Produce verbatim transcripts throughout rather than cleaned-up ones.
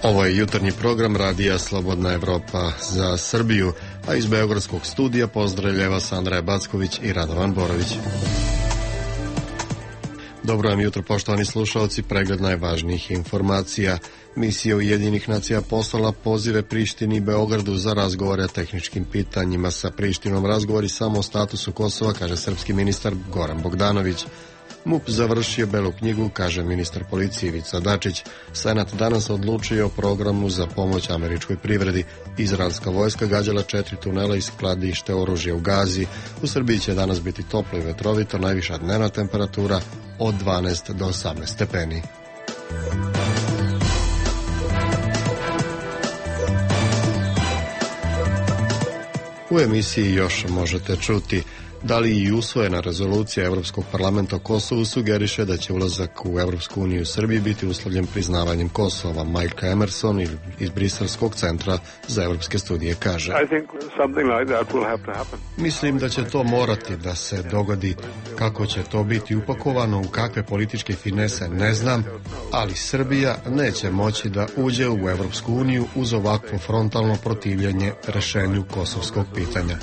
Ovo je jutarnji program Radija Slobodna Evropa za Srbiju, a iz beogradskog studija pozdravljava Sandra Backović i Radovan Borović. Dobro vam jutro, poštovani slušalci, pregled najvažnijih informacija. Misija Ujedinjenih nacija poslala pozive Prištini i Beogradu za razgovore o tehničkim pitanjima. Sa Prištinom razgovori samo o statusu Kosova, kaže srpski ministar Goran Bogdanović. MUP završio belu knjigu, kaže ministar policije Ivica Dačić. Senat danas odlučio o programu za pomoć američkoj privredi. Izraelska vojska gađala četiri tunela i skladište oružja u Gazi. U Srbiji će danas biti toplo i vetrovito, najviša dnevna temperatura od dvanaest do osamnaest stepeni. U emisiji još možete čuti da li i usvojena rezolucija Evropskog parlamenta o Kosovu sugeriše da će ulazak u Evropsku uniju u Srbiji biti uslovljen priznavanjem Kosova. Mike Emerson iz Briselskog centra za evropske studije kaže: Mislim da će to morati da se dogodi. Kako će to biti upakovano, u kakve političke finese, ne znam, ali Srbija neće moći da uđe u Evropsku uniju uz ovakvo frontalno protivljenje rešenju kosovskog pitanja.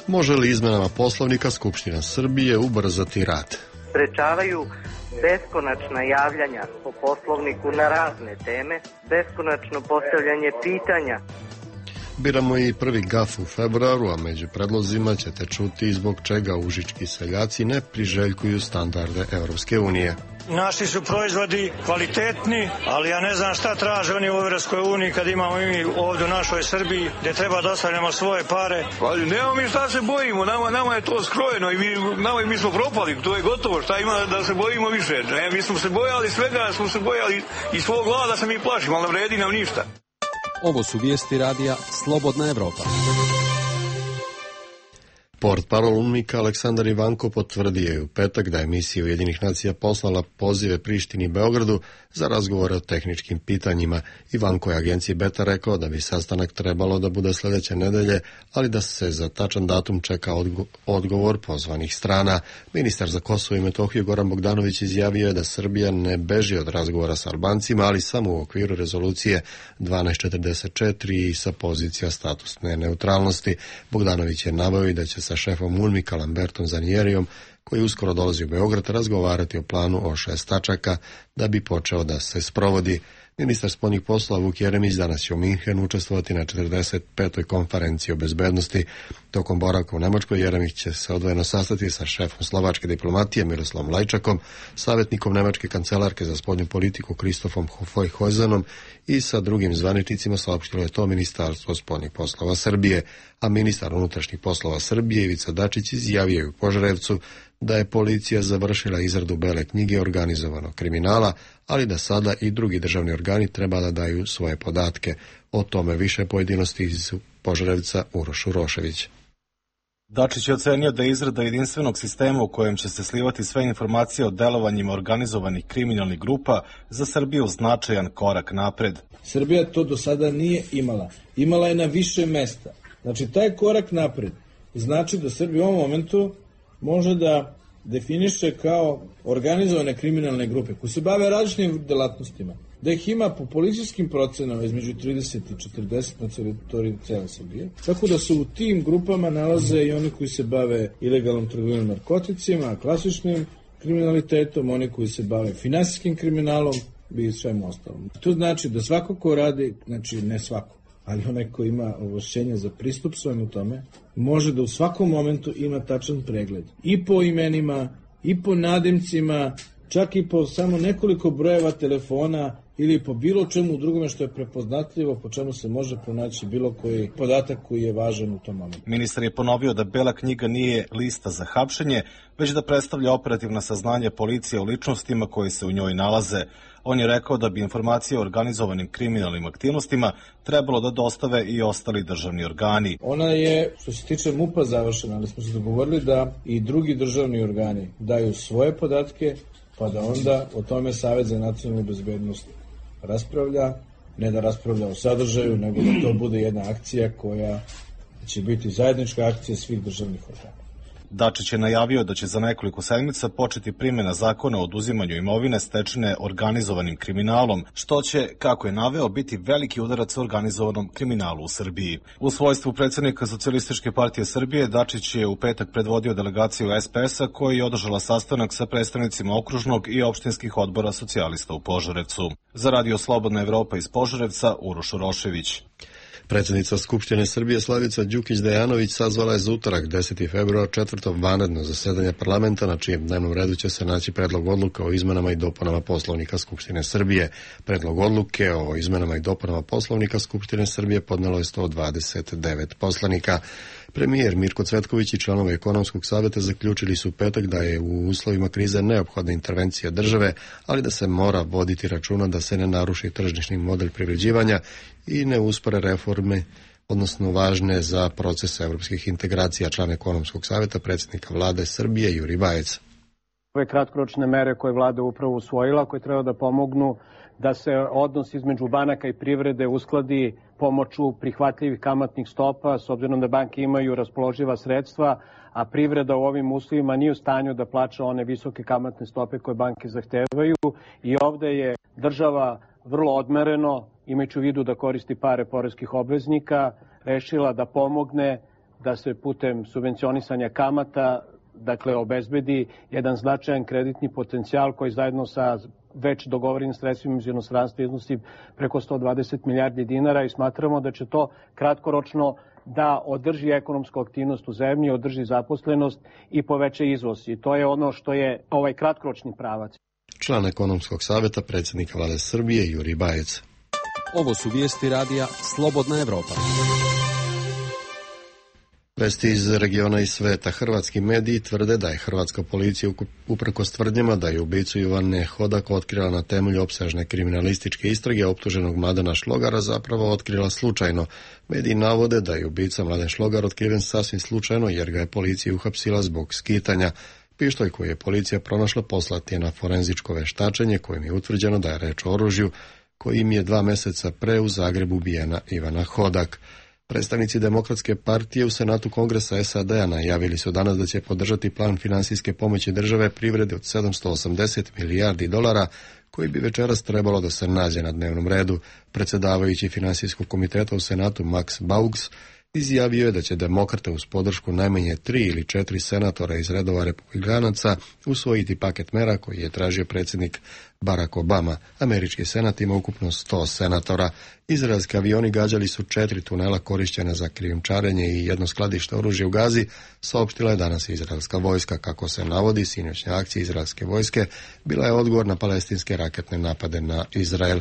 Može li izmenama Poslovnika Skupština Srbije ubrzati rad? Sprečavaju beskonačna javljanja po Poslovniku na razne teme, beskonačno postavljanje pitanja. Biramo i prvi gaf u februaru, a među predlozima ćete čuti zbog čega užički seljaci ne priželjkuju standarde Evropske unije. Naši su proizvodi kvalitetni, ali ja ne znam šta traže oni u Evropskoj uniji kad imamo i mi ovdje u našoj Srbiji gdje treba da ostavljamo svoje pare. Ali nemamo mi šta se bojimo, nama, nama je to skrojeno i mi, nama, mi smo propali, to je gotovo, šta ima da se bojimo više. Ne, mi smo se bojali svega, smo se bojali i svog glada se mi plašimo, ali ne vredi nam ništa. Ovo su vijesti radija Slobodna Evropa. Portparol UNMIK-a Aleksandar Ivanko potvrdio je u petak da je misija Ujedinjenih nacija poslala pozive Prištini i Beogradu za razgovore o tehničkim pitanjima. Ivanko je agenciji Beta rekao da bi sastanak trebalo da bude sljedeće nedelje, ali da se za tačan datum čeka odgo- odgovor pozvanih strana. Ministar za Kosovo i Metohiju Goran Bogdanović izjavio je da Srbija ne beži od razgovora sa Albancima, ali samo u okviru rezolucije dvanaest četrdeset četiri i sa pozicija statusne neutralnosti. Bogdanović je naveo i da će sa šefom UNMIK-a Lambertom Zanijerijom, koji uskoro dolazi u Beograd, razgovarati o planu o šest tačaka da bi počeo da se sprovodi. Ministar spoljnih poslova Vuk Jeremić danas će u Minhenu učestvovati na četrdeset petoj konferenciji o bezbednosti. Tokom boravka u Nemačkoj Jeremić će se odvojeno sastati sa šefom slovačke diplomatije Miroslavom Lajčakom, savjetnikom nemačke kancelarke za spoljnu politiku Kristofom Hofojzanom i sa drugim zvaničnicima, saopštilo je to Ministarstvo spoljnih poslova Srbije, a ministar unutrašnjih poslova Srbije Ivica Dačić izjavio je u Požarevcu da je policija završila izradu bele knjige organizovanog kriminala, ali da sada i drugi državni organi treba da daju svoje podatke. O tome više pojedinosti iz Požarevca Uroš Urošević. Dačić je ocenio da je izrada jedinstvenog sistema u kojem će se slivati sve informacije o delovanjima organizovanih kriminalnih grupa za Srbiju značajan korak napred. Srbija to do sada nije imala. Imala je na više mesta. Znači, taj korak napred znači da Srbija u ovom momentu može da definiše kao organizovane kriminalne grupe koji se bave različitim delatnostima. Da ih ima po policijskim procenama između trideset i četrdeset na teritoriji cele Srbije. Tako da se u tim grupama nalaze i oni koji se bave ilegalnom trgovinom narkoticima, klasičnim kriminalitetom, oni koji se bave finansijskim kriminalom i svemu ostalom. To znači da svako ko radi, znači ne svako, ali onaj ko ima ovlašćenja za pristup svemu tome, može da u svakom momentu ima tačan pregled. I po imenima, i po nadimcima, čak i po samo nekoliko brojeva telefona ili po bilo čemu drugome što je prepoznatljivo, po čemu se može pronaći bilo koji podatak koji je važan u tom momentu. Ministar je ponovio da bela knjiga nije lista za hapšenje, već da predstavlja operativna saznanja policije o ličnostima koji se u njoj nalaze. On je rekao da bi informacije o organizovanim kriminalnim aktivnostima trebalo da dostave i ostali državni organi. Ona je, što se tiče MUP-a, završena, ali smo se dogovorili da i drugi državni organi daju svoje podatke, pa da onda o tome Savet za nacionalnu bezbednost raspravlja, ne da raspravlja o sadržaju, nego da to bude jedna akcija koja će biti zajednička akcija svih državnih organa. Dačić je najavio da će za nekoliko sedmica početi primjena zakona o oduzimanju imovine stečene organizovanim kriminalom, što će, kako je naveo, biti veliki udarac organizovanom kriminalu u Srbiji. U svojstvu predsjednika Socijalističke partije Srbije, Dačić je u petak predvodio delegaciju es pe es a koja je održala sastanak sa predstavnicima okružnog i opštinskih odbora socijalista u Požarevcu. Za Radio Slobodna Evropa iz Požarevca, Uroš Urošević. Predsjednica Skupštine Srbije Slavica Đukić-Dejanović sazvala je za utorak deseti februar četvrto vanredno zasedanje parlamenta na čijem dnevnom redu će se naći predlog odluka o izmenama i dopunama Poslovnika Skupštine Srbije. Predlog odluke o izmenama i dopunama Poslovnika Skupštine Srbije podnelo je sto dvadeset devet poslanika. Premijer Mirko Cvetković i članovi Ekonomskog saveta zaključili su u petak da je u uslovima krize neophodna intervencija države, ali da se mora voditi računa da se ne naruši tržišni model privređivanja i ne uspore reforme, odnosno važne za proces evropskih integracija. Član Ekonomskog saveta, predsjednika vlade Srbije Juri Bajec. Ove kratkoročne mere koje vlada upravo usvojila, koje treba da pomognu da se odnos između banaka i privrede uskladi pomoću prihvatljivih kamatnih stopa, s obzirom da banke imaju raspoloživa sredstva, a privreda u ovim uslovima nije u stanju da plaća one visoke kamatne stope koje banke zahtevaju. I ovde je država vrlo odmereno, imajući u vidu da koristi pare poreskih obveznika, rešila da pomogne da se putem subvencionisanja kamata, dakle, obezbedi jedan značajan kreditni potencijal koji zajedno sa već dogovorenim sredstvima iz inostranstva iznosi preko sto dvadeset milijardi dinara i smatramo da će to kratkoročno da održi ekonomsku aktivnost u zemlji, održi zaposlenost i poveća izvoz. I to je ono što je ovaj kratkoročni pravac. Član Ekonomskog saveta, predsjednika vlade Srbije Juri Bajec. Ovo su vijesti radija Slobodna Evropa. Vesti iz regiona i sveta. Hrvatski mediji tvrde da je hrvatska policija uprkos tvrdnjama da je ubicu Ivane Hodak otkrila na temelju opsežne kriminalističke istrage optuženog Mladena Šlogara zapravo otkrila slučajno. Mediji navode da je ubica Mladen Šlogar otkriven sasvim slučajno jer ga je policija uhapsila zbog skitanja. Pištolj koji je policija pronašla poslat je na forenzičko veštačenje kojim je utvrđeno da je reč o oružju kojim je dva meseca pre u Zagrebu ubijena Ivana Hodak. Predstavnici Demokratske partije u Senatu Kongresa es a de a najavili su danas da će podržati plan finansijske pomoći države privredi od sedamsto osamdeset milijardi dolara koji bi večeras trebalo da se nađe na dnevnom redu. Predsjedavajući Finansijskog komiteta u Senatu Max Baugs izjavio je da će demokrate uz podršku najmanje tri ili četiri senatora iz redova republikanaca usvojiti paket mera koji je tražio predsjednik Barack Obama. Američki senat ima ukupno sto senatora. Izraelski avioni gađali su četiri tunela korišćena za krijumčarenje i jedno skladište oružja u Gazi, saopštila je danas izraelska vojska. Kako se navodi, sinoćnja akcija izraelske vojske bila je odgovor na palestinske raketne napade na Izrael.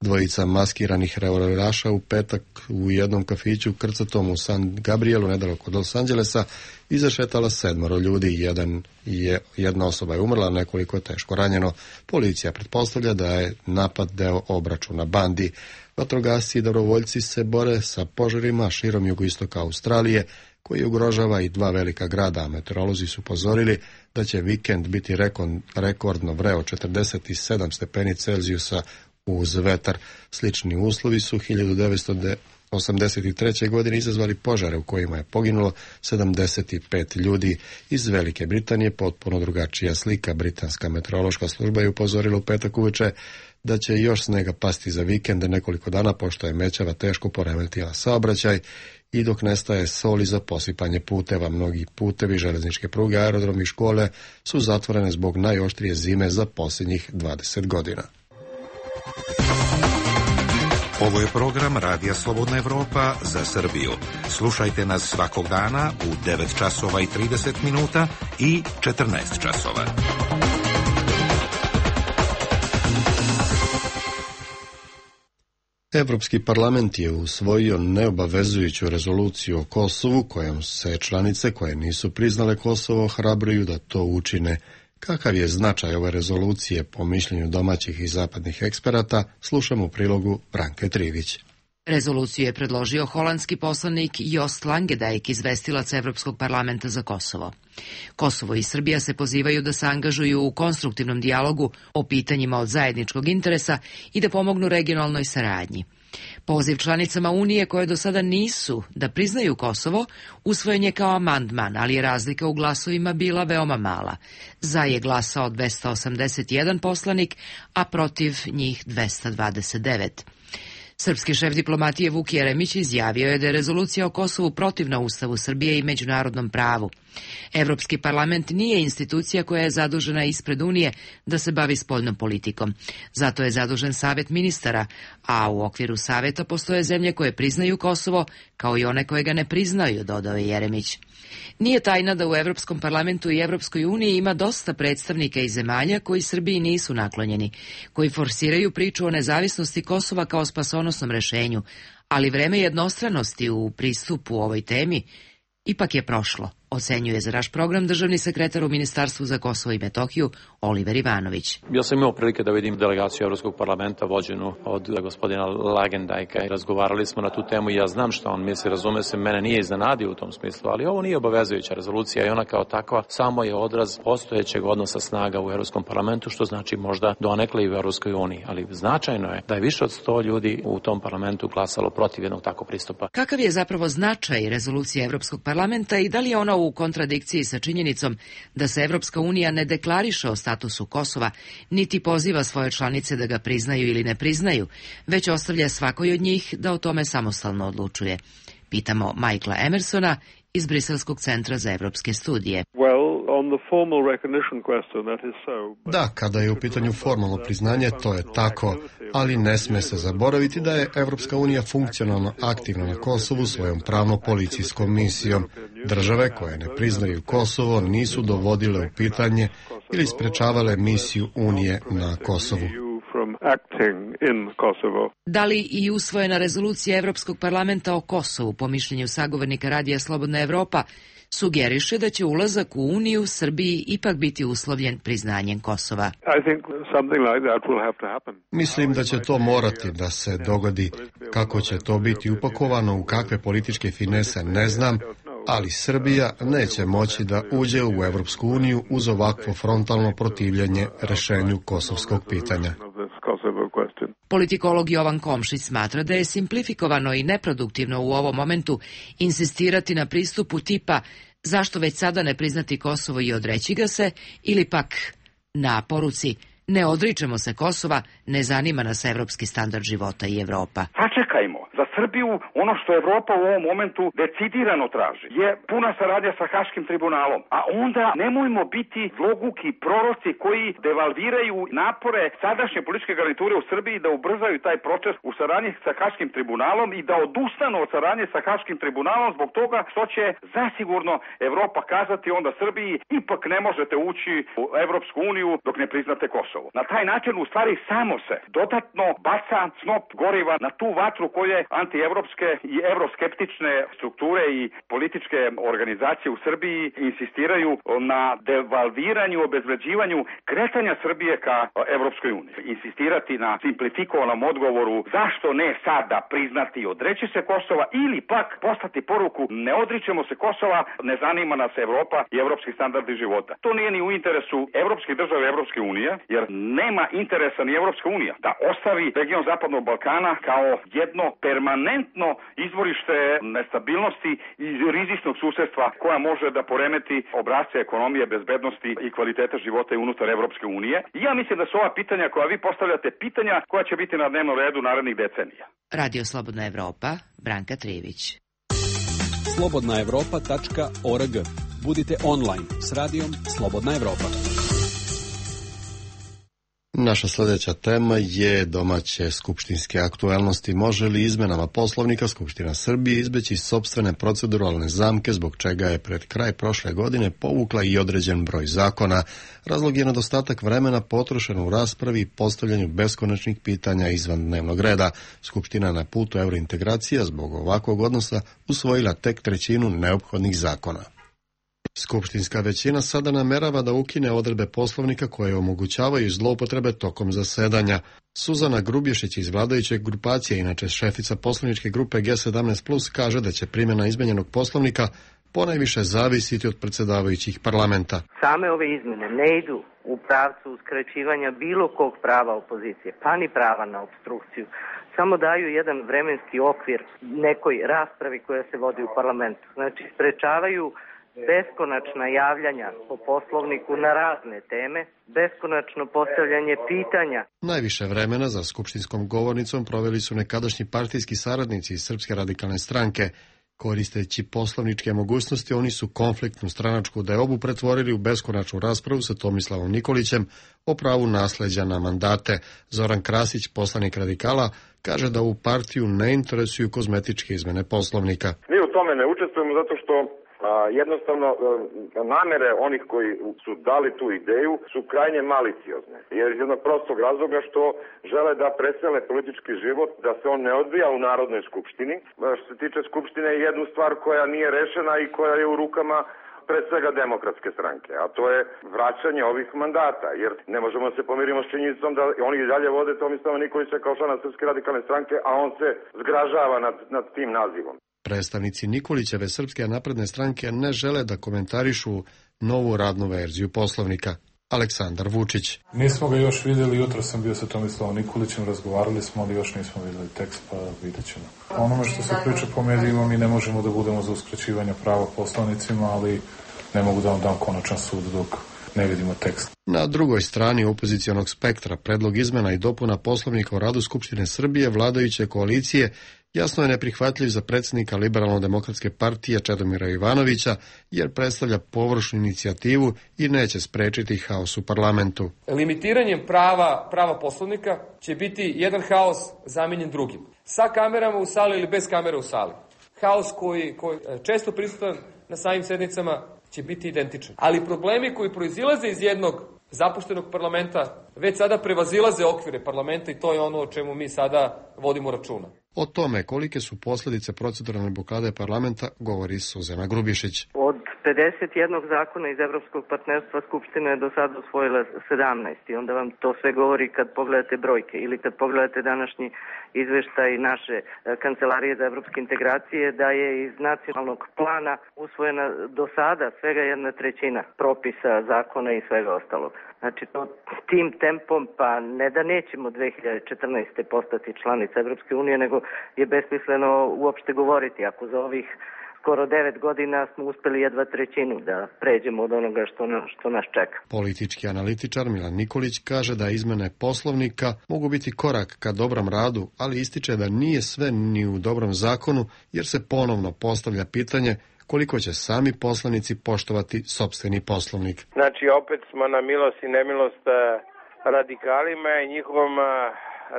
Dvojica maskiranih revolveraša u petak u jednom kafiću krcatom u San Gabrielu, nedaleko od Los Angelesa, izašetala sedmoro ljudi. Jedan je, jedna osoba je umrla, nekoliko je teško ranjeno. Policija pretpostavlja da je napad deo obračuna bandi. Vatrogasci i dobrovoljci se bore sa požarima širom jugoistoka Australije, koji ugrožava i dva velika grada, a meteorolozi su upozorili da će vikend biti rekordno vreo, četrdeset sedam stepeni Celzijusa uz vetar. Slični uslovi su hiljadu devetsto osamdeset treće. godine izazvali požare u kojima je poginulo sedamdeset pet ljudi. Iz Velike Britanije potpuno drugačija slika. Britanska meteorološka služba je upozorila u petak uveče da će još snega pasti za vikend nekoliko dana, pošto je mećava teško poremetila saobraćaj i dok nestaje soli za posipanje puteva. Mnogi putevi, železničke pruge, aerodromi i škole su zatvorene zbog najoštrije zime za posljednjih dvadeset godina. Ovo je program Radija Slobodna Evropa za Srbiju. Slušajte nas svakog dana u devet časova i trideset minuta i četrnaest časova. Evropski parlament je usvojio neobavezujuću rezoluciju o Kosovu kojom se članice koje nisu priznale Kosovo ohrabruju da to učine. Kakav je značaj ove rezolucije po mišljenju domaćih i zapadnih eksperata, slušamo u prilogu Branke Trivić. Rezoluciju je predložio holandski poslanik Joost Langendijk, izvestilac Evropskog parlamenta za Kosovo. Kosovo i Srbija se pozivaju da se angažuju u konstruktivnom dijalogu o pitanjima od zajedničkog interesa i da pomognu regionalnoj saradnji. Poziv članicama Unije koje do sada nisu da priznaju Kosovo usvojen je kao amandman, ali je razlika u glasovima bila veoma mala. Za je glasao dvesta osamdeset jedan poslanik, a protiv njih dvesta dvadeset devet. Srpski šef diplomatije Vuk Jeremić izjavio je da je rezolucija o Kosovu protivna Ustavu Srbije i međunarodnom pravu. Evropski parlament nije institucija koja je zadužena ispred Unije da se bavi spoljnom politikom. Zato je zadužen Savet ministara, a u okviru Saveta postoje zemlje koje priznaju Kosovo, kao i one koje ga ne priznaju, dodao je Jeremić. Nije tajna da u Evropskom parlamentu i Evropskoj uniji ima dosta predstavnika iz zemalja koji Srbiji nisu naklonjeni, koji forsiraju priču o nezavisnosti Kosova kao spasonosnom rešenju, ali vreme jednostranosti u pristupu ovoj temi ipak je prošlo, ocenjuje za naš program državni sekretar u Ministarstvu za Kosovo i Metohiju Oliver Ivanović. Ja sam imao prilike da vidim delegaciju Evropskog parlamenta vođenu od gospodina Langendijka i razgovarali smo na tu temu i ja znam šta on misli, razume se, mene nije iznenadio u tom smislu, ali ovo nije obavezujuća rezolucija i ona kao takva samo je odraz postojećeg odnosa snaga u Evropskom parlamentu, što znači možda donekle i u Evropskoj uniji, ali značajno je da je više od sto ljudi u tom parlamentu glasalo protiv jednog takvog pristupa. Kakav je zapravo značaj rezolucije Evropskog parlamenta i da li je ona u kontradikciji sa činjenicom da se Evropska unija ne deklariše o statusu Kosova, niti poziva svoje članice da ga priznaju ili ne priznaju, već ostavlja svakoj od njih da o tome samostalno odlučuje. Pitamo Michaela Emersona iz Briselskog centra za evropske studije. Da, kada je u pitanju formalno priznanje, to je tako, ali ne sme se zaboraviti da je Evropska unija funkcionalno aktivna na Kosovu svojom pravno-policijskom misijom. Države koje ne priznaju Kosovo nisu dovodile u pitanje ili sprečavale misiju Unije na Kosovu. Da li i usvojena rezolucija Evropskog parlamenta o Kosovu, po mišljenju sagovornika Radija Slobodna Evropa, sugeriše da će ulazak u Uniju Srbiji ipak biti uslovljen priznanjem Kosova? Mislim da će to morati da se dogodi. Kako će to biti upakovano, u kakve političke finese, ne znam, ali Srbija neće moći da uđe u Evropsku uniju uz ovakvo frontalno protivljenje rešenju kosovskog pitanja. Politikolog Jovan Komšić smatra da je simplifikovano i neproduktivno u ovom momentu insistirati na pristupu tipa zašto već sada ne priznati Kosovo i odreći ga se, ili pak na poruci ne odričemo se Kosova, ne zanima nas evropski standard života i Evropa. Sačekajmo. Za Srbiju ono što Evropa u ovom momentu decidirano traži je puna saradnja sa Haškim tribunalom. A onda nemojmo biti zloguki proroci koji devalviraju napore sadašnje političke garniture u Srbiji da ubrzaju taj proces u saradnji sa Haškim tribunalom i da odustanu od saradnje sa Haškim tribunalom zbog toga što će zasigurno Evropa kazati onda Srbiji ipak ne možete ući u Evropsku uniju dok ne priznate Kosovo. Na taj način u stvari samo se dodatno baca snop goriva na tu vatru koje antievropske i evroskeptične strukture i političke organizacije u Srbiji insistiraju na devalviranju, obezvređivanju kretanja Srbije ka Evropskoj uniji. Insistirati na simplifikovanom odgovoru zašto ne sada priznati i odreći se Kosova ili pak poslati poruku ne odričemo se Kosova, ne zanima nas Evropa i evropski standardi života. To nije ni u interesu evropskih država i Evropske unije, jer nema interesa ni Evropska unija da ostavi region Zapadnog Balkana kao jedno permanentno izvorište nestabilnosti i rizičnog susedstva koja može da poremeti obrasce ekonomije, bezbednosti i kvaliteta života i unutar Evropske unije. I ja mislim da su ova pitanja koja vi postavljate pitanja koja će biti na dnevnom redu narednih decenija. Radio Slobodna Evropa, Branka Trijević. slobodna evropa tačka org. Budite online s radijom Slobodna Evropa. Naša sljedeća tema je domaće skupštinske aktuelnosti. Može li izmenama Poslovnika Skupština Srbije izbeći sopstvene proceduralne zamke zbog čega je pred kraj prošle godine povukla i određen broj zakona? Razlog je nedostatak vremena potrošen u raspravi i postavljanju beskonačnih pitanja izvan dnevnog reda. Skupština na putu evrointegracija zbog ovakvog odnosa usvojila tek trećinu neophodnih zakona. Skupštinska većina sada namerava da ukine odredbe Poslovnika koje omogućavaju zloupotrebe tokom zasedanja. Suzana Grubješić iz vladajuće grupacije, inače šefica poslaničke grupe G sedamnaest plus, kaže da će primjena izmenjenog Poslovnika ponajviše zavisiti od predsjedavajućih parlamenta. Same ove izmene ne idu u pravcu uskraćivanja bilo kog prava opozicije, pa ni prava na opstrukciju. Samo daju jedan vremenski okvir nekoj raspravi koja se vodi u parlamentu. Znači, sprečavaju beskonačna javljanja po Poslovniku na razne teme, beskonačno postavljanje pitanja. Najviše vremena za skupštinskom govornicom proveli su nekadašnji partijski saradnici iz Srpske radikalne stranke. Koristeći poslovničke mogućnosti, oni su konfliktnu stranačku deobu pretvorili u beskonačnu raspravu sa Tomislavom Nikolićem o pravu nasleđa na mandate. Zoran Krasić, poslanik radikala, kaže da u partiju ne interesuju kozmetičke izmene Poslovnika. Mi u tome ne učestvujemo zato što a, jednostavno a, namere onih koji su dali tu ideju su krajnje maliciozne. Jer iz jednog prostog razloga što žele da presele politički život, da se on ne odvija u Narodnoj skupštini. A, što se tiče skupštine, jednu stvar koja nije rešena i koja je u rukama pre svega demokratske stranke, a to je vraćanje ovih mandata, jer ne možemo se pomirimo s činjenicom da oni i dalje vode Tomislava Nikolića kao člana Srpske radikalne stranke, a on se zgražava nad, nad tim nazivom. Predstavnici Nikolićeve Srpske napredne stranke ne žele da komentarišu novu radnu verziju Poslovnika. Aleksandar Vučić. Nismo ga još vidjeli, jutro sam bio sa Tomislavom Nikolićem, razgovarali smo, ali još nismo vidjeli tekst, pa vidjet ćemo. Onome što se priča po medijima, mi ne možemo da budemo za uskraćivanje prava poslanicima, ali ne mogu da vam dam konačan sud dok ne vidimo tekst. Na drugoj strani opozicionog spektra predlog izmena i dopuna Poslovnika o radu Skupštine Srbije vladajuće koalicije jasno je neprihvatljiv za predsjednika Liberalno-demokratske partije Čedomira Jovanovića, jer predstavlja površnu inicijativu i neće sprečiti haos u parlamentu. Limitiranjem prava, prava Poslovnika će biti jedan haos zamenjen drugim. Sa kamerama u sali ili bez kamera u sali. Haos koji, koji često prisutan na samim sednicama će biti identičan. Ali problemi koji proizilaze iz jednog zapuštenog parlamenta već sada prevazilaze okvire parlamenta i to je ono o čemu mi sada vodimo računa. O tome kolike su posljedice proceduralne blokade parlamenta govori Suzana Grubješić. Od pedeset jednog zakona iz Evropskog partnerstva Skupština je do sada usvojila sedamnaest i onda vam to sve govori kad pogledate brojke ili kad pogledate današnji izveštaj naše Kancelarije za evropske integracije da je iz nacionalnog plana usvojena do sada svega jedna trećina propisa, zakona i svega ostalog. Znači, to tim tempom, pa ne da nećemo dve hiljade četrnaeste. postati članica Evropske unije, nego je besmisleno uopšte govoriti. Ako za ovih skoro devet godina smo uspeli jedva trećinu da pređemo od onoga što, na, što nas čeka. Politički analitičar Milan Nikolić kaže da izmene Poslovnika mogu biti korak ka dobrom radu, ali ističe da nije sve ni u dobrom zakonu, jer se ponovno postavlja pitanje koliko će sami poslanici poštovati sopstveni Poslovnik. Znači, opet smo na milost i nemilost radikalima i njihovom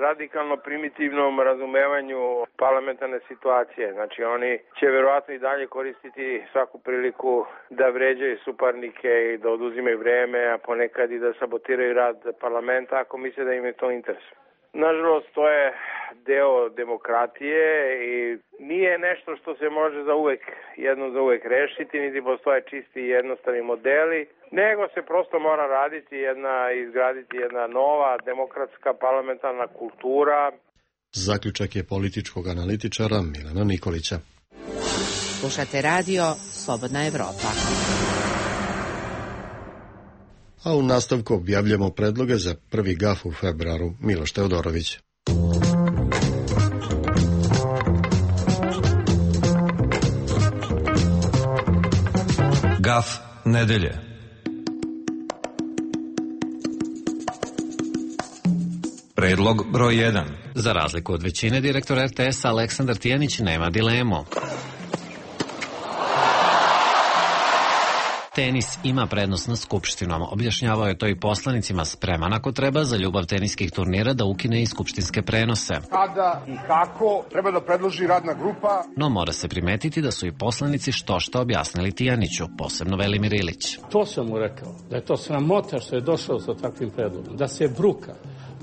radikalno primitivnom razumevanju parlamentarne situacije. Znači, oni će verovatno i dalje koristiti svaku priliku da vređaju suparnike i da oduzimaju vreme, a ponekad i da sabotiraju rad parlamenta ako misle da im je to interes. Nažalost, to je deo demokratije i nije nešto što se može za uvek, jedno za uvek rešiti, niti postoje čisti i jednostavni modeli, nego se prosto mora raditi jedna, izgraditi jedna nova demokratska parlamentarna kultura. Zaključak je političkog analitičara Milana Nikolića. Slušate radio Slobodna Evropa. A u nastavku objavljamo predloge za prvi gaf u februaru. Miloš Teodorović. Gaf nedelje. Predlog broj jedan. Za razliku od većine, direktor R T S-a Aleksandar Tijanić nema dilemu. Tenis ima prednost nad Skupštinom. Objašnjavao je to i poslanicima, spreman ako treba za ljubav teniskih turnira da ukine i skupštinske prenose. Kada i kako treba da predloži radna grupa. No mora se primetiti da su i poslanici što što objasnili Tijaniću, posebno Velimir Ilić. To sam mu rekao, da je to sramota što je došao sa takvim predlogom, da se bruka,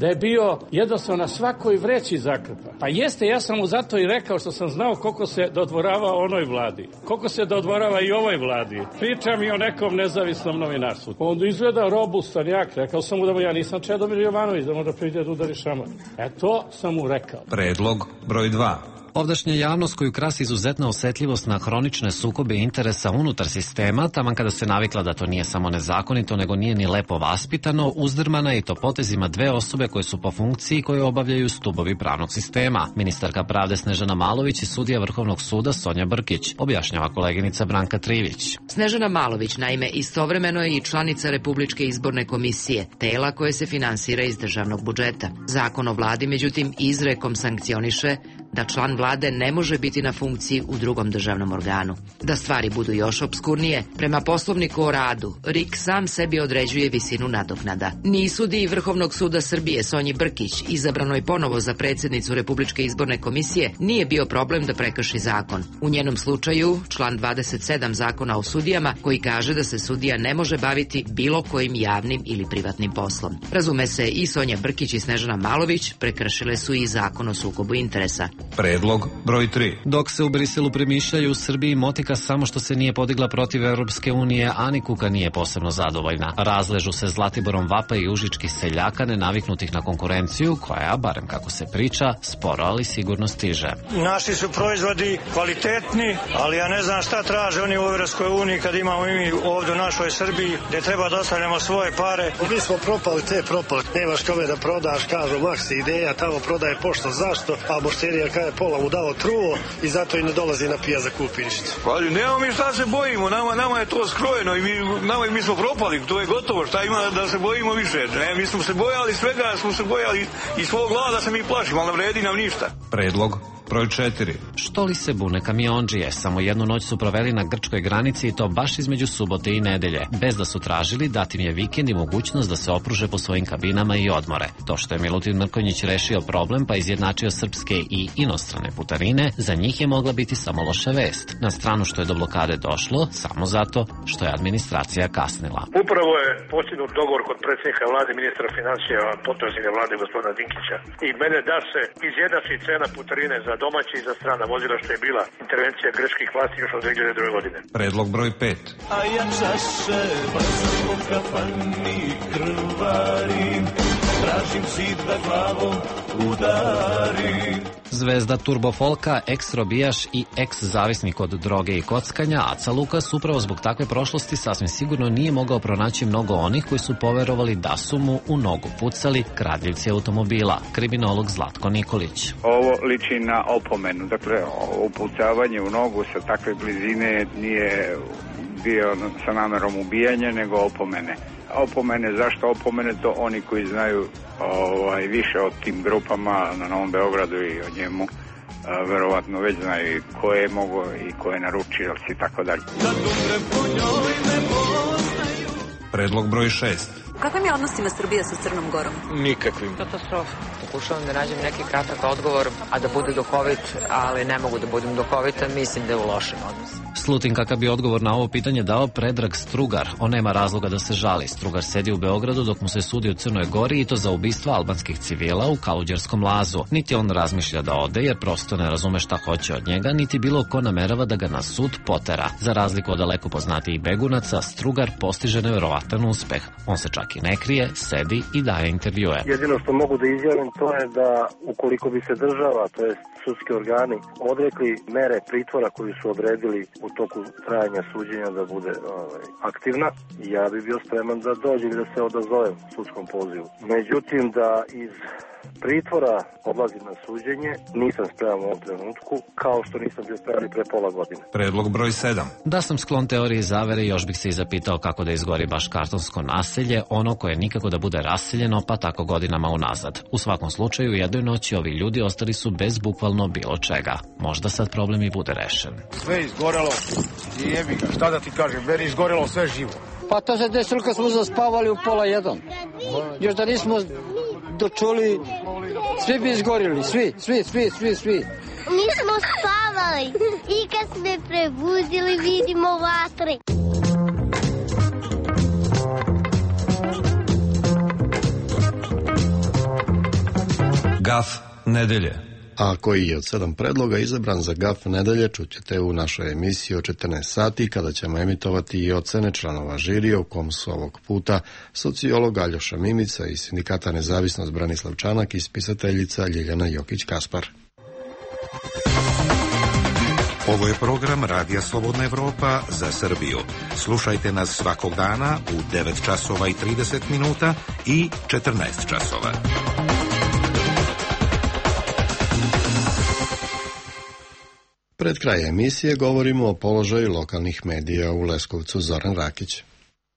da je bio jednostavno na svakoj vreći zakrpa. Pa jeste, ja sam mu zato i rekao što sam znao koliko se dodvorava onoj vladi, koliko se dodvorava i ovoj vladi. Pričam i o nekom nezavisnom novinarstvu. Onda izgleda robustan jak, rekao sam mu da mu ja nisam Čedomir Jovanović, da možda priđe da udari šamar. E to sam mu rekao. Predlog broj dva. Ovdašnja javnost koju krasi izuzetna osetljivost na hronične sukobe interesa unutar sistema, taman kada se navikla da to nije samo nezakonito, nego nije ni lepo vaspitano, uzdrmana i to potezima dve osobe koje su po funkciji koje obavljaju stubovi pravnog sistema. Ministarka pravde Snežana Malović i sudija Vrhovnog suda Sonja Brkić, objašnjava koleginica Branka Trivić. Snežana Malović, naime, istovremeno je i članica Republičke izborne komisije, tela koje se finansira iz državnog budžeta. Zakon o vladi, međutim, izrekom sankcioniše da član vlade ne može biti na funkciji u drugom državnom organu. Da stvari budu još opskurnije, prema poslovniku o radu, R I K sam sebi određuje visinu nadoknada. Ni sudiji Vrhovnog suda Srbije Sonji Brkić, izabranoj ponovo za predsjednicu Republičke izborne komisije, nije bio problem da prekrši zakon. U njenom slučaju, član dvadeset sedam Zakona o sudijama, koji kaže da se sudija ne može baviti bilo kojim javnim ili privatnim poslom. Razume se, i Sonja Brkić i Snežana Malović prekršile su i Zakon o sukobu interesa. Predlog broj tri. Dok se u Briselu premišljaju, u Srbiji motika samo što se nije podigla protiv Evropske unije, a ni Kuka nije posebno zadovoljna. Razležu se Zlatiborom vapa i užičkih seljaka nenaviknutih na konkurenciju, koja, barem kako se priča, sporo ali sigurno stiže. Naši su proizvodi kvalitetni, ali ja ne znam šta traže oni u Evropskoj uniji kad imamo mi ovdje u našoj Srbiji, gdje treba da ostavljamo svoje pare. Mi smo propali te propali. Nemaš kome da prodaš, kažu Maxi ideja, tamo prodaje pošto, zašto, a Bošterija kada je pola mu dao truo i zato i ne dolazi na pija za kupi ništa. Pa nemamo mi šta se bojimo, nama, nama je to skrojeno i mi, nama, mi smo propali, to je gotovo, šta ima da se bojimo više. Ne, mi smo se bojali svega, smo se bojali i svog glada se mi plašimo, ali ne vredi nam ništa. Predlog broj četiri. Što li se bune kamionđije? Samo jednu noć su proveli na grčkoj granici i to baš između subote i nedelje, bez da su tražili dati im je vikend i mogućnost da se opruže po svojim kabinama i odmore. To što je Milutin Mrkonjić rešio problem pa izjednačio srpske i inostrane putarine, za njih je mogla biti samo loša vest. Na stranu što je do blokade došlo, samo zato što je administracija kasnila. Upravo je postignut dogovor kod predsjednika vlade, ministra financija, potpredsjednika vlade gospodina Dinkića i mene da se izjednači cena putarine za domaći i za strana vozila, što je bila intervencija grčkih vlasti još od dve hiljade druge. godine. Predlog broj pet. A ja čaše brzo po kafani krvarim, tražim zid da glavom udarim. Zvezda turbofolka, ex-robijaš i ex-zavisnik od droge i kockanja, Aca Lukas upravo zbog takve prošlosti sasvim sigurno nije mogao pronaći mnogo onih koji su poverovali da su mu u nogu pucali kradljivci automobila. Kriminolog Zlatko Nikolić. Ovo liči na opomenu, dakle upucavanje u nogu sa takve blizine nije bio sa namerom ubijanja, nego opomene. Opomene, zašto opomene? To oni koji znaju ovaj, više o tim grupama na Novom Beogradu i o njemu a, verovatno već znaju ko je mogo i ko je naručioc i tako dalje. Predlog broj šest. Kakvim je odnosima Srbije sa Crnom Gorom? Nikakvim. Katastrofa. Pokušavam da nađem neki kratak odgovor, a da bude duhovit, ali ne mogu da budem duhovita, mislim da je u lošim odnosima. Slutim kakav bi odgovor na ovo pitanje dao Predrag Strugar. On nema razloga da se žali. Strugar sedi u Beogradu dok mu se sudi u Crnoj Gori i to za ubistva albanskih civila u Kaluđerskom lazu. Niti on razmišlja da ode jer prosto ne razume šta hoće od njega, niti bilo ko namerava da ga na sud potera. Za razliku od daleko poznatijih begunaca, Strugar postiže neverovatan uspeh. On se čak i ne krije, sedi i daje intervjue. Jedino što mogu da izjavim to je da ukoliko bi se država, to jest sudski organi, odrekli mere pritvora koju su odredili u toku trajanja suđenja da bude ovaj, aktivna, ja bi bio spreman da dođe i da se odazovem sudskom pozivu. Međutim, da iz pritvora odlazim na suđenje, nisam spreman u ovom trenutku, kao što nisam bio spreman i pre pola godine. Predlog broj sedam. Da sam sklon teoriji zavere, još bih se i zapitao kako da izgori baš kartonsko naselje, ono koje nikako da bude raseljeno, pa tako godinama unazad. U svakom slučaju, u jednoj noći ovi ljudi ostali su bez bukvalno bilo čega. Možda sad problem i bude rešen. Sve izgorelo i jebi ga, šta da ti kažem, meni izgorelo sve živo. Pa to se desilo kad smo zaspavali u pola jedan. Još da nismo dočuli, svi bi izgorili, svi, svi, svi, svi, svi. Mi smo spavali i kad smo prebudili vidimo vatre. Gaf nedelje. A koji je od sedam predloga izabran za Gaf nedelje čućete u našoj emisiji o četrnaest sati kada ćemo emitovati i ocene članova žirija u kom su ovog puta sociolog Aljoša Mimica iz Sindikata Nezavisnost Branislav Čanak i spisateljica Ljiljana Jokić-Kaspar. Ovo je program Radija Slobodna Evropa za Srbiju. Slušajte nas svakog dana u devet časova i trideset minuta i četrnaest časova. Pred kraj emisije govorimo o položaju lokalnih medija u Leskovcu. Zoran Rakić.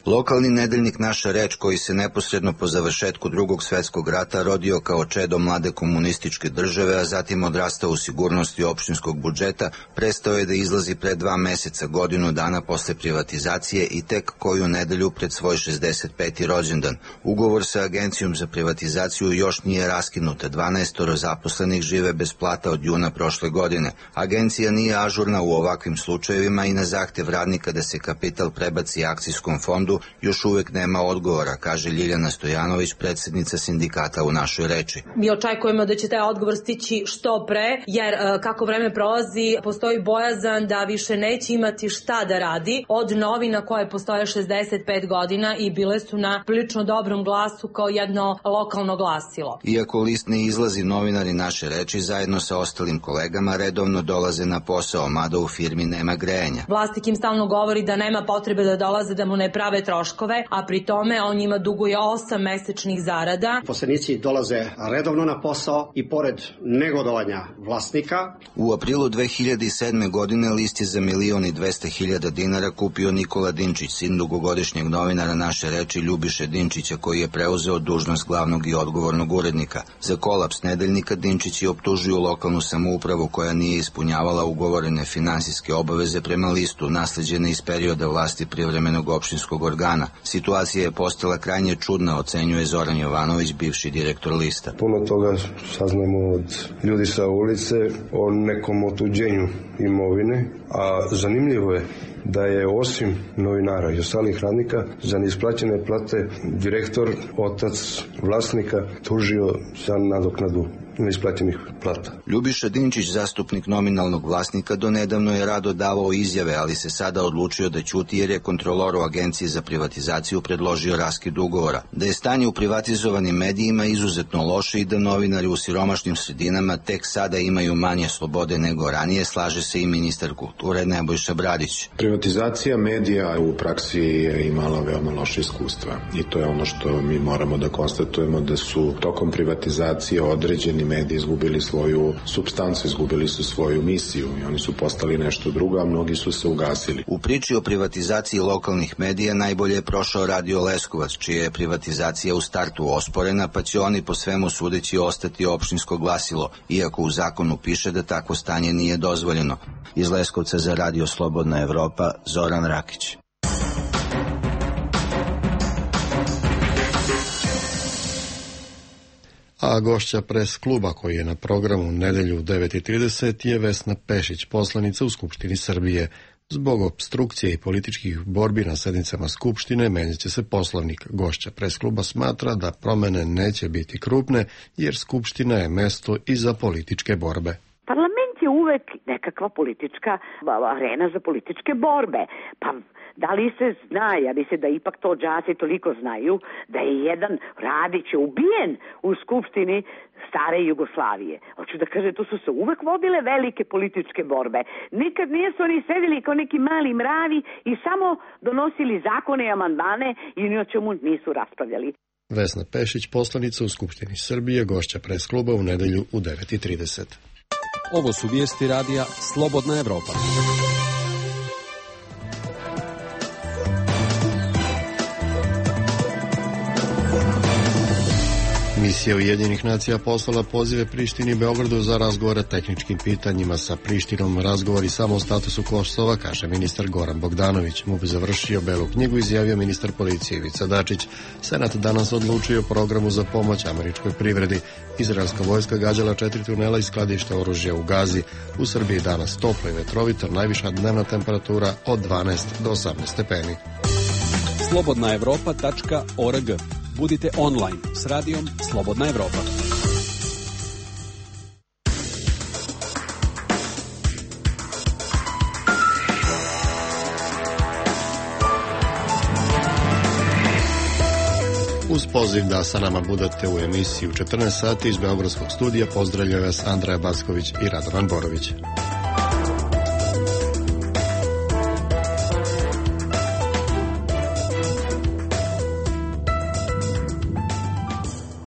Lokalni nedeljnik Naša reč, koji se neposredno po završetku Drugog svetskog rata rodio kao čedo mlade komunističke države, a zatim odrastao u sigurnosti opštinskog budžeta, prestao je da izlazi pre dva meseca, godinu dana posle privatizacije i tek koju nedelju pred svoj šezdeset peti rođendan. Ugovor sa Agencijom za privatizaciju još nije raskinut, dvanaestoro zaposlenih žive bez plata od juna prošle godine. Agencija nije ažurna u ovakvim slučajevima i na zahtev radnika da se kapital prebaci akcijskom fondu još uvek nema odgovora, kaže Ljiljana Stojanović, predsednica sindikata u Našoj reči. Mi očekujemo da će taj odgovor stići što pre, jer kako vreme prolazi, postoji bojazan da više neće imati šta da radi od novina koje postoje šezdeset pet godina i bile su na prilično dobrom glasu kao jedno lokalno glasilo. Iako list ne izlazi, novinari Naše reči zajedno sa ostalim kolegama redovno dolaze na posao, mada u firmi nema grejanja. Vlasnik im stalno govori da nema potrebe da dolaze, da mu ne prave troškove, a pri tome on njima duguje osam mesečnih zarada. Poslenici dolaze redovno na posao i pored negodovanja vlasnika. U aprilu dve hiljade sedme. godine list je za milion i dvesta hiljada dinara kupio Nikola Dinčić, sin dugogodišnjeg novinara Naše reči Ljubiše Dinčića, koji je preuzeo dužnost glavnog i odgovornog urednika. Za kolaps nedeljnika Dinčić je optužio lokalnu samoupravu koja nije ispunjavala ugovorene finansijske obaveze prema listu, nasleđene iz perioda vlasti privremenog opštinskog organa. Situacija je postala krajnje čudna, ocenjuje Zoran Jovanović, bivši direktor lista. Puno toga saznamo od ljudi sa ulice o nekom otuđenju imovine, a zanimljivo je da je osim novinara i ostalih radnika za neisplaćene plate direktor, otac vlasnika, tužio za nadoknadu neisplaćenih plata. Ljubiša Dinčić, zastupnik nominalnog vlasnika, donedavno je rado davao izjave, ali se sada odlučio da ćuti jer je kontrolor u Agenciji za privatizaciju predložio raskid ugovora. Da je stanje u privatizovanim medijima izuzetno loše i da novinari u siromašnim sredinama tek sada imaju manje slobode nego ranije, slaže se i ministar kulture Nebojša Bradić. Privatizacija medija u praksi je imala veoma loše iskustva i to je ono što mi moramo da konstatujemo, da su tokom privatizacije određeni mediji izgubili svoju supstancu, izgubili su svoju misiju i oni su postali nešto drugo, a mnogi su se ugasili. U priči o privatizaciji lokalnih medija najbolje je prošao Radio Leskovac, čija je privatizacija u startu osporena, pa će oni po svemu sudeći ostati opštinsko glasilo, iako u zakonu piše da takvo stanje nije dozvoljeno. Iz Leskovca za Radio Slobodna Evropa, Zoran Rakić. A gošća pres kluba koji je na programu nedelju u devet i trideset je Vesna Pešić, poslanica u Skupštini Srbije. Zbog opstrukcije i političkih borbi na sednicama Skupštine menjat će se poslovnik. Gošća pres kluba smatra da promene neće biti krupne jer Skupština je mesto i za političke borbe. Parlament je uvek nekakva politička arena za političke borbe. Pa da li se zna, ja mislim da ipak to đaci toliko znaju, da je jedan Radić ubijen u Skupštini stare Jugoslavije. Hoću da kaže, tu su se uvek vodile velike političke borbe. Nikad nisu oni sedeli kao neki mali mravi i samo donosili zakone i amandmane i ni o čemu nisu raspravljali. Vesna Pešić, poslanica u Skupštini Srbije, gošća pres kluba u nedelju u devet i trideset. Ovo su vijesti radija Slobodna Evropa. Misija Ujedinjenih nacija poslala pozive Prištini i Beogradu za razgovore o tehničkim pitanjima sa Prištinom. Razgovori samo o statusu Kosova, kaže ministar Goran Bogdanović. M U P završio Belu knjigu, izjavio ministar policije Ivica Dačić. Senat danas odlučio o programu za pomoć američkoj privredi. Izraelska vojska gađala četiri tunela i skladišta oružja u Gazi. U Srbiji danas toplo i vetrovito, najviša dnevna temperatura od dvanaest do osamnaest stepeni. slobodna evropa tačka org. Budite online s radijom Slobodna Evropa. Uz poziv da sa nama budete u emisiji u četrnaest sati iz Beogradskog studija pozdravljaju vas Andreja Backović i Radovan Borović.